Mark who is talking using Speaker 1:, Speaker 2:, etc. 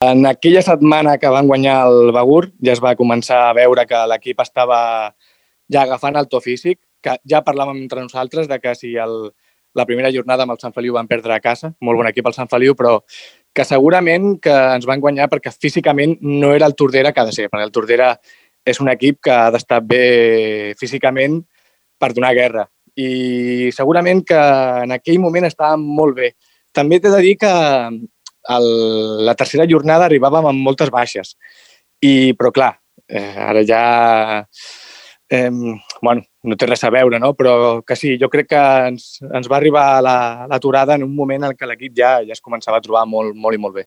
Speaker 1: En aquella setmana que van guanyar el Begur ja es va començar a veure que l'equip estava ja agafant el to físic, que ja parlàvem entre nosaltres de que si la primera jornada amb el Sant Feliu van perdre a casa, molt bon equip el Sant Feliu, però que segurament que ens van guanyar perquè físicament no era el Tordera que ha de ser, perquè el Tordera és un equip que ha d'estar bé físicament per donar guerra. I segurament que en aquell moment estàvem molt bé. També t'he de dir que la tercera jornada arribàvem amb moltes baixes. Però clar, ara ja no té res a veure, no? Però que sí, jo crec que ens va arribar l'aturada en un moment en què l'equip ja es començava a trobar molt, molt i molt bé.